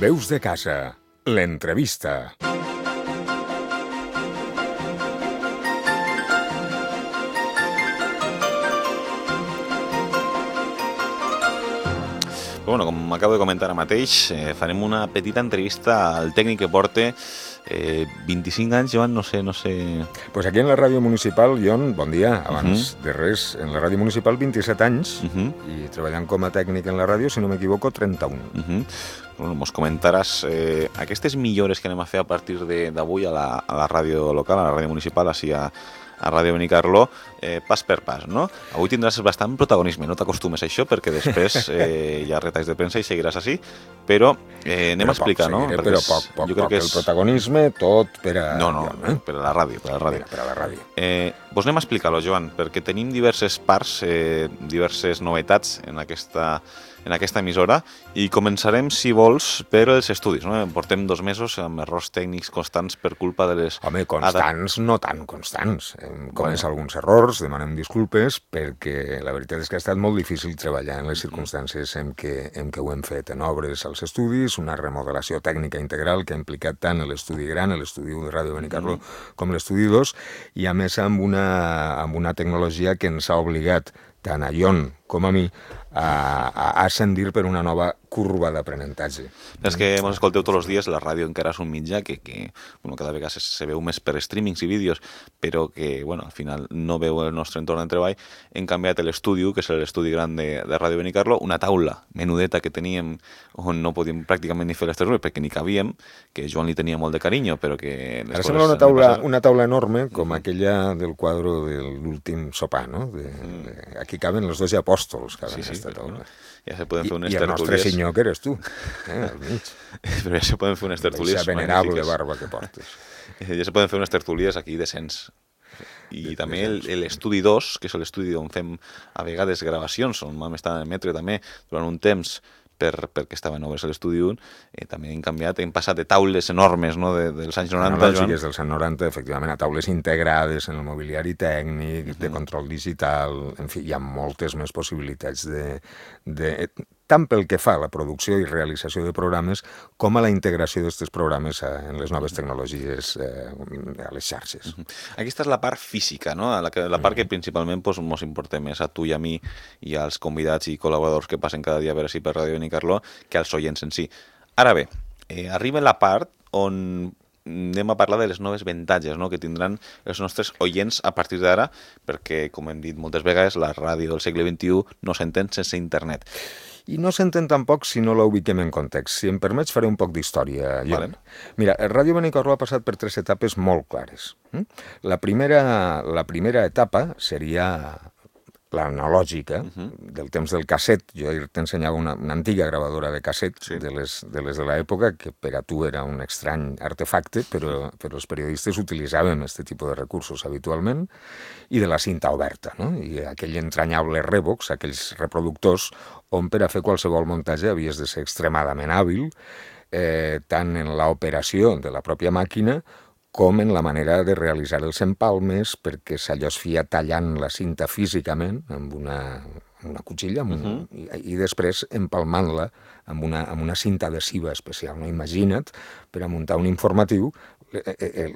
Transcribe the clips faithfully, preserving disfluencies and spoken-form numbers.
Veus de casa, l'entrevista. Bueno, com acabo de comentar ara mateix, eh, farem una petita entrevista al tècnic que porta eh, vint-i-cinc anys, Joan, no sé, no sé... Pues aquí en la ràdio municipal, Jon, bon dia, abans uh-huh. de res, en la ràdio municipal vint-i-set anys uh-huh. i treballant com a tècnic en la ràdio, si no m'equivoco, trenta-un. Uh-huh. Bueno, mos comentaràs eh, aquestes millores que anem a fer a partir d'avui a, la, a la ràdio local, a la ràdio municipal, així a, a Ràdio Benicarló, eh, pas per pas, no? Avui tindràs bastant protagonisme, no t'acostumes a això, perquè després eh, hi ha retalls de premsa i seguiràs així, però eh, anem però a explicar, poc, no? Seguiré, Perquè però poc, poc, jo crec poc. Que és... El protagonisme, tot per a... No, no, Jon, eh? per a la ràdio, per a la ràdio. Per a la ràdio. Eh, vos anem a explicar-lo, Joan, perquè tenim diverses parts, eh, diverses novetats en aquesta... en aquesta emissora i començarem, si vols, per els estudis. No? Portem dos mesos amb errors tècnics constants per culpa de les... Home, constants, no tan constants. Hem comès Bueno. alguns errors, demanem disculpes, perquè la veritat és que ha estat molt difícil treballar en les circumstàncies en què, en què ho hem fet. En obres als estudis, una remodelació tècnica integral que ha implicat tant l'estudi gran, l'estudi u de Ràdio Benicarló, mm. com l'estudi dos, i a més amb una, amb una tecnologia que ens ha obligat tant a Jon com a mi, a, a ascendir per una nova curva d'aprenentatge. És que ens escolteu tots els dies, la ràdio encara és un mitjà que, que bueno, cada vegada se, se veu més per streamings i vídeos, però que bueno, al final no veu el nostre entorn de treball. Hem canviat l'estudi, que és l'estudi gran de, de Ràdio Benicarló, una taula menudeta que teníem on no podíem pràcticament ni fer les tertúlies perquè ni cabíem, que Joan li tenia molt de carinyo, però que... Ara sembla una taula, una taula enorme, com aquella del quadre de l'últim sopar, no? De, de, aquí caben els dos apòstols, caben sí, sí, aquesta taula. Bueno, ja se poden fer unes I, i el tertúlies... nostre senyor, que eres tu, eh, al mig. Però ja se poden fer unes tertúlies magnífiques. Aquesta venerable magnífiques. barba que portes. Ja se poden fer unes tertúlies aquí decents. I de, també l'estudi dos, que és l'estudi on fem a vegades gravacions, on vam estar a emetre també durant un temps per, perquè estaven obres a l'estudi un, eh, també hem canviat, hem passat de taules enormes, no, de, dels anys noranta, analògiques dels anys noranta, efectivament, a taules integrades en el mobiliari tècnic, uh-huh. de control digital, en fi, hi ha moltes més possibilitats de, de tant pel que fa a la producció i realització de programes com a la integració d'aquests programes en les noves tecnologies eh, a les xarxes. Uh-huh. Aquesta és la part física, no? La, que, la part que principalment ens pues, importa més a tu i a mi i als convidats i col·laboradors que passen cada dia a veure si per Ràdio Benicarló que als oients en si. Ara bé, eh, arriba la part on anem a parlar de les noves avantatges, no?, que tindran els nostres oients a partir d'ara, perquè, com hem dit moltes vegades, la ràdio del segle vint-i-u no s'entén sense internet. I no s'entén tampoc si no la ubiquem en context. Si em permets, faré un poc d'història. Vale. Mira, Ràdio Benicarló ha passat per tres etapes molt clares. La primera, la primera etapa seria l'analògica, uh-huh. del temps del casset. Jo t'ensenyava una, una antiga gravadora de casset, sí. de les de les de l'època, que per a tu era un estrany artefacte, però, però els periodistes utilitzàvem aquest tipus de recursos habitualment, i de la cinta oberta, no? I aquell entranyable Revox, aquells reproductors, on per a fer qualsevol muntatge havies de ser extremadament hàbil, eh, tant en l'operació de la pròpia màquina, com en la manera de realitzar els empalmes, perquè allò es feia tallant la cinta físicament amb una, una cotxilla amb un, uh-huh. i, i després empalmant-la amb una, amb una cinta adhesiva especial. No? Imagina't, per a muntar un informatiu, el, el,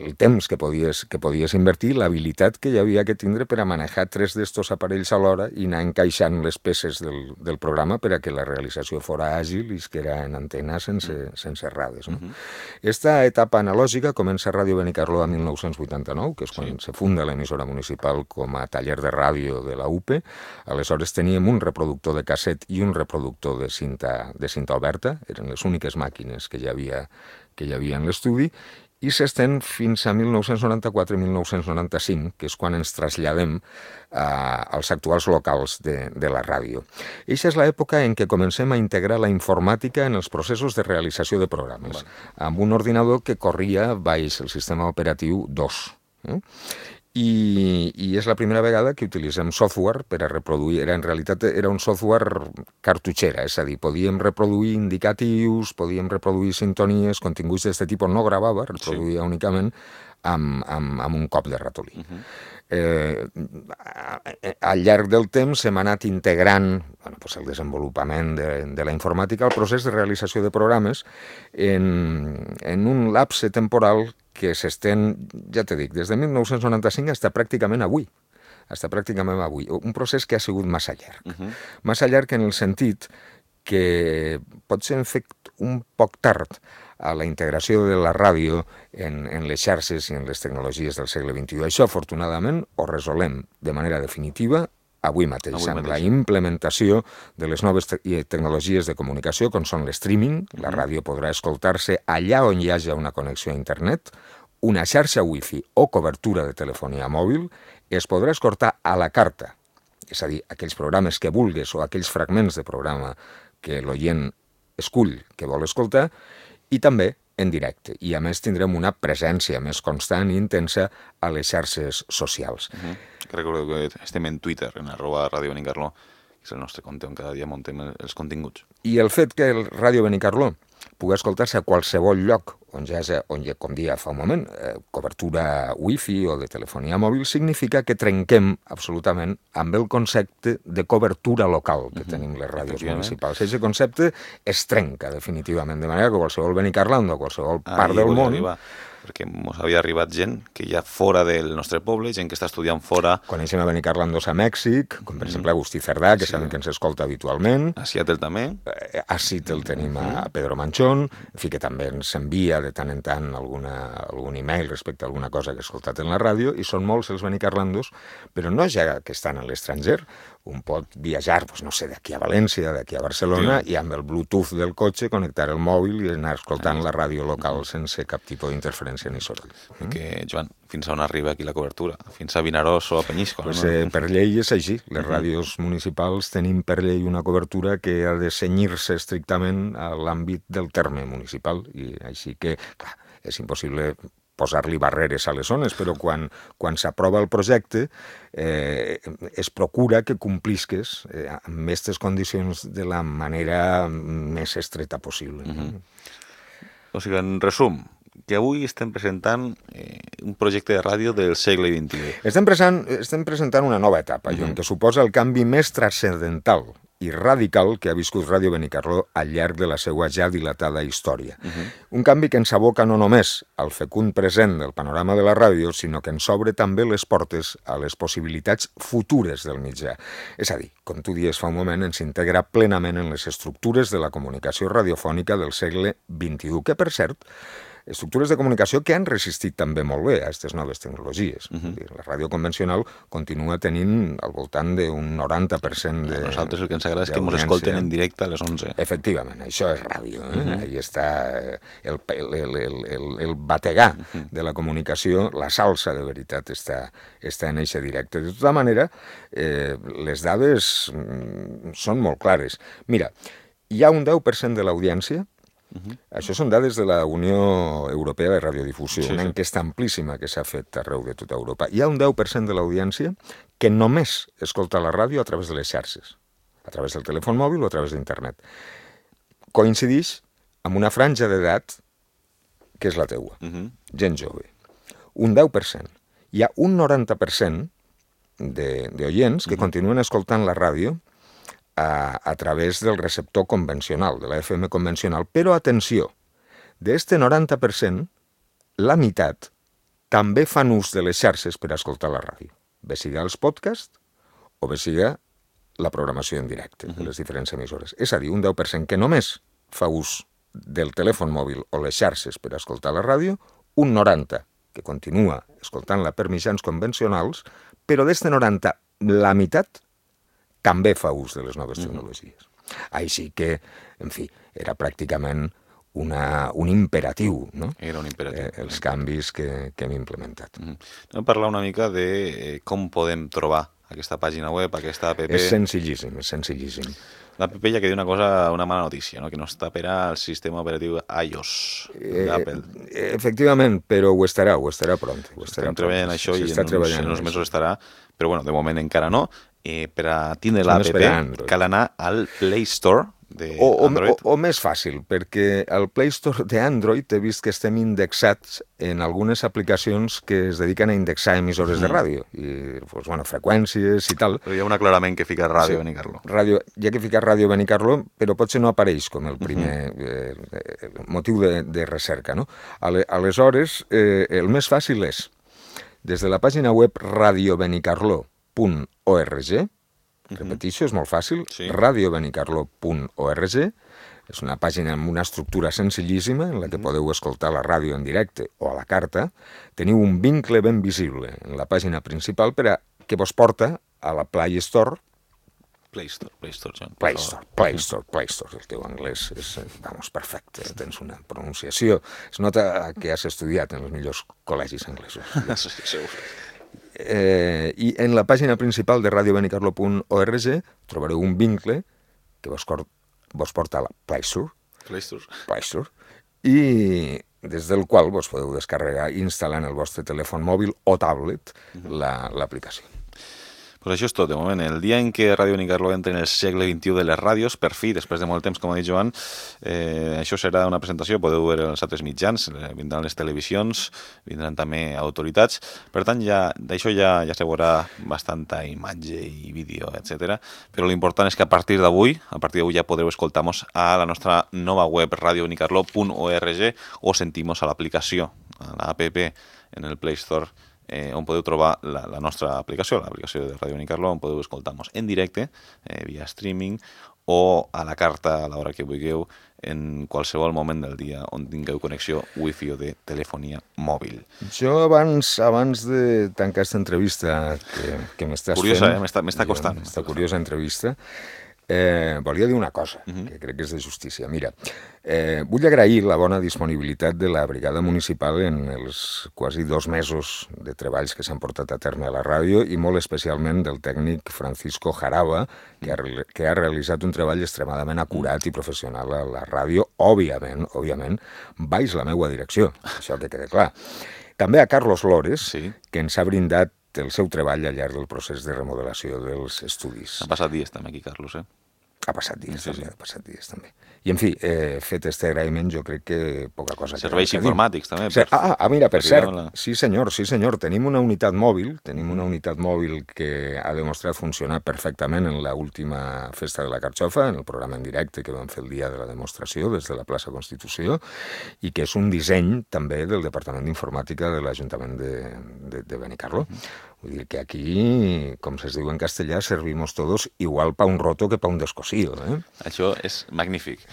el temps que podies, que podies invertir, l'habilitat que hi havia que tindre per a manejar tres d'estos aparells alhora i anar encaixant les peces del, del programa per a que la realització fora àgil i es quedara en antena sense, sense errades. No? Uh-huh. Esta etapa analògica comença a Ràdio Benicarló a mil nou-cents vuitanta-nou, que és quan sí. se funda l'emissora municipal com a taller de ràdio de la U P E. Aleshores teníem un reproductor de casset i un reproductor de cinta, de cinta oberta, eren les úniques màquines que hi havia que hi havia en l'estudi, i s'estén fins a mil nou-cents noranta-quatre i mil nou-cents noranta-cinc, que és quan ens traslladem a, als actuals locals de, de la ràdio. Eixa és l'època en què comencem a integrar la informàtica en els processos de realització de programes, bueno. amb un ordinador que corria baix el sistema operatiu dos. Eh? I, i és la primera vegada que utilitzem software per a reproduir, era, en realitat era un software cartutxera, és a dir, podíem reproduir indicatius, podíem reproduir sintonies, continguts d'aquest tipus, no gravava, reproduïa sí. únicament amb, amb, amb un cop de ratolí. Uh-huh. Eh, al llarg del temps hem anat integrant bueno, pues el desenvolupament de, de la informàtica al procés de realització de programes en, en un lapse temporal que s'estén, ja te dic, des de mil nou-cents noranta-cinc fins pràcticament avui. Fins pràcticament avui. Un procés que ha sigut massa llarg. Uh-huh. Massa llarg en el sentit que pot ser fet un poc tard a la integració de la ràdio en, en les xarxes i en les tecnologies del segle vint-i-u. Això, afortunadament, ho resolem de manera definitiva avui mateix, avui amb mateix. La implementació de les noves te tecnologies de comunicació, com són l'streaming. Mm-hmm. La ràdio podrà escoltar-se allà on hi hagi una connexió a internet, una xarxa wifi o cobertura de telefonia mòbil, es podrà escoltar a la carta, és a dir, aquells programes que vulgues o aquells fragments de programa que l'oient escull que vol escoltar, i també en directe. I a més tindrem una presència més constant i intensa a les xarxes socials. Uh-huh. Recordo que estem en Twitter, en arroba Ràdio Benicarló, que és el nostre compte on cada dia muntem els continguts. I el fet que el Ràdio Benicarló pugui escoltar-se a qualsevol lloc on ja, on ja com dia fa un moment, eh, cobertura wifi o de telefonia mòbil, significa que trenquem absolutament amb el concepte de cobertura local que uh-huh. tenim les ràdios municipals. Aquest concepte es trenca definitivament, de manera que qualsevol benicarlando, qualsevol ah, part del món... Arribar. Perquè ens havia arribat gent que hi ha fora del nostre poble, gent que està estudiant fora. Coneixem a Benicarlandos a Mèxic, com per mm. exemple Agustí Cerdà, que sí. Sabem que ens escolta habitualment. A Seattle també. A Seattle tenim a Pedro Manchón, en fi, que també ens envia de tant en tant alguna, algun email respecte a alguna cosa que ha escoltat en la ràdio, i són molts els benicarlandos, però no ja que estan a l'estranger. Un pot viatjar, doncs, no sé, d'aquí a València, d'aquí a Barcelona, sí. I amb el Bluetooth del cotxe connectar el mòbil i anar escoltant la ràdio local sense cap tipus d'interferència ni soroll. Mm? Que, Joan, fins a on arriba aquí la cobertura? Fins a Vinaròs o a Penyíscola? Pues, no? eh, per llei és així. Les uh-huh. ràdios municipals tenim per llei una cobertura que ha de cenyir-se estrictament a l'àmbit del terme municipal, i així que, clar, és impossible posar-li barreres a les zones, però quan, quan s'aprova el projecte eh, es procura que complisques eh, amb aquestes condicions de la manera més estreta possible. Uh-huh. O sigui, en resum, que avui estem presentant eh, un projecte de ràdio del segle vint-i-u. Estem, present, estem presentant una nova etapa, uh-huh. Joan, que suposa el canvi més transcendental i radical que ha viscut Ràdio Benicarló al llarg de la seva ja dilatada història. Uh-huh. Un canvi que ens aboca no només al fecund present del panorama de la ràdio, sinó que ens obre també les portes a les possibilitats futures del mitjà. És a dir, com tu dies fa un moment, ens integra plenament en les estructures de la comunicació radiofònica del segle vint-i-u, que, per cert, estructures de comunicació que han resistit també molt bé a aquestes noves tecnologies. Uh-huh. La ràdio convencional continua tenint al voltant d'un noranta per cent de... A nosaltres el que ens agrada és que ens escolten en directe a les onze. Efectivament, això és ràdio. Eh? Uh-huh. Ahí està el, el, el, el, el bategar uh-huh. de la comunicació, la salsa de veritat està, està en eixe directe. De tota manera, eh, les dades mm, són molt clares. Mira, hi ha un deu per cent de l'audiència. Uh-huh. Això són dades de la Unió Europea de Radiodifusió, sí, una sí. enquesta amplíssima que s'ha fet arreu de tota Europa. Hi ha un deu per cent de l'audiència que només escolta la ràdio a través de les xarxes, a través del telèfon mòbil o a través d'internet. Coincideix amb una franja d'edat que és la teua, uh-huh. gent jove. Un deu per cent. Hi ha un noranta per cent d'oients que uh-huh. continuen escoltant la ràdio A, a través del receptor convencional, de la F M convencional. Però, atenció, d'este noranta per cent, la meitat també fan ús de les xarxes per escoltar la ràdio. Bé siga els podcasts o bé siga la programació en directe de les diferents emissores. És a dir, un deu per cent que només fa ús del telèfon mòbil o les xarxes per escoltar la ràdio, un noranta que continua escoltant-la per mitjans convencionals, però d'este noranta, la meitat també fa ús de les noves tecnologies. Mm-hmm. Així que, en fi, era pràcticament una, un imperatiu, no? Era un imperatiu. Eh, els canvis que, que hem implementat. Mm-hmm. Anem a parlar una mica de eh, com podem trobar aquesta pàgina web, aquesta app. És senzillíssim, és senzillíssim. L'app ja que diu una cosa, una mala notícia, no? Que no està per al sistema operatiu iOS d'Apple. Eh, efectivament, però ho estarà, ho estarà pront. Ho estarà Estem treballant això i en uns, en uns mesos estarà, però bueno, de moment encara no. Eh, per a tindre l'app cal anar al Play Store d'Android? O, o, o més fàcil, perquè al Play Store d'Android he vist que estem indexats en algunes aplicacions que es dediquen a indexar emissores mm. de ràdio, i pues, bueno, freqüències i tal. Però hi ha un aclarament que fica Ràdio sí, Benicarló. Ràdio, hi ha que ficar Ràdio Benicarló, però potser no apareix com el primer mm-hmm. eh, motiu de, de recerca, no? Ale, aleshores, eh, el més fàcil és, des de la pàgina web radio benicarló punt org, repeteixo, és molt fàcil, sí. radio benicarló punt org, és una pàgina amb una estructura senzillíssima en la que podeu escoltar la ràdio en directe o a la carta. Teniu un vincle ben visible en la pàgina principal per a que vos porta a la Play Store. Play Store, Play Store, John. Play Store, Play Store, Play Store. El teu anglès és, vamos, perfecte. Tens una pronunciació. Es nota que has estudiat en els millors col·legis anglesos. Sí, segur. Eh, I en la pàgina principal de radio benicarló punt org trobareu un vincle que vos, cor, vos porta a la Play Store, Play Store. Play Store, i des del qual vos podeu descarregar i instal·lar en el vostre telèfon mòbil o tablet l'aplicació. Pues això és tot, de moment. El dia en què Ràdio Benicarló entra en el segle vint-i-u de les ràdios, per fi, després de molt temps, com ha dit Joan, eh, això serà una presentació, podeu veure els altres mitjans, eh, vindran les televisions, vindran també autoritats, per tant, ja d'això ja, ja se veurà bastanta imatge i vídeo, etcètera. Però l'important és que a partir d'avui, a partir d'avui ja podreu escoltar-nos a la nostra nova web radio benicarló punt org o sentir-nos a l'aplicació, a l'app en el Play Store, Eh, on podeu trobar la, la nostra aplicació, l'aplicació de Ràdio Benicarló, on podeu escoltar-nos en directe, eh, via streaming, o a la carta a l'hora que vulgueu, en qualsevol moment del dia on tingueu connexió wifi o de telefonia mòbil. Jo abans abans de tancar aquesta entrevista que, que m'estàs fent... Curiosa, eh? M'està costant. Aquesta curiosa entrevista. Eh, volia dir una cosa, uh-huh. que crec que és de justícia. Mira, eh, vull agrair la bona disponibilitat de la brigada municipal en els quasi dos mesos de treballs que s'han portat a terme a la ràdio i molt especialment del tècnic Francisco Jaraba, que ha, que ha realitzat un treball extremadament acurat i professional a la ràdio, òbviament, òbviament, baix la meua direcció, això que quede clar. També a Carlos Lores, sí. que ens ha brindat el seu treball al llarg del procés de remodelació dels estudis. Ha passat dies també aquí, Carlos, eh? Ha passat dies, sí, també, sí. ha passat dies també. I, en fi, eh, fet este agraïment, jo crec que poca cosa... Serveis informàtics, també. Per... Ah, ah, mira, per cert, la... sí senyor, sí senyor, tenim una unitat mòbil, tenim una unitat mòbil que ha demostrat funcionar perfectament en l'última festa de la Carxofa, en el programa en directe que vam fer el dia de la demostració des de la plaça Constitució, i que és un disseny també del Departament d'Informàtica de l'Ajuntament de, de, de Benicarló. Vull dir que aquí, com es diu en castellà, servimos todos igual pa un roto que pa un descosido. Eh? Això és magnífic.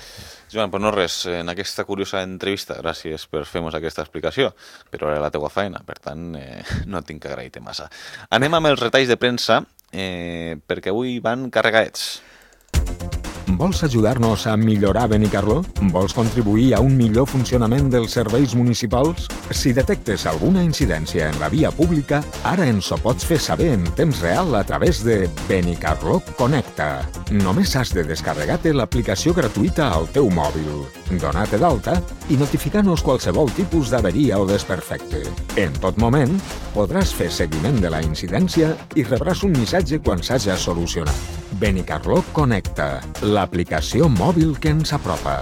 Joan, pues no res, en aquesta curiosa entrevista, gràcies per fer-nos aquesta explicació, però era la teua feina, per tant, eh, no tinc que agrair-te massa. Anem amb els retalls de premsa, eh, perquè avui van carregadets. Vols ajudar-nos a millorar Benicarló? Vols contribuir a un millor funcionament dels serveis municipals? Si detectes alguna incidència en la via pública, ara ens ho pots fer saber en temps real a través de Benicarló Connecta. Només has de descarregar-te l'aplicació gratuïta al teu mòbil, donar-te d'alta i notificar-nos qualsevol tipus d'averia o desperfecte. En tot moment, podràs fer seguiment de la incidència i rebràs un missatge quan s'haja solucionat. Benicarló Connecta, l'aplicació mòbil que ens apropa.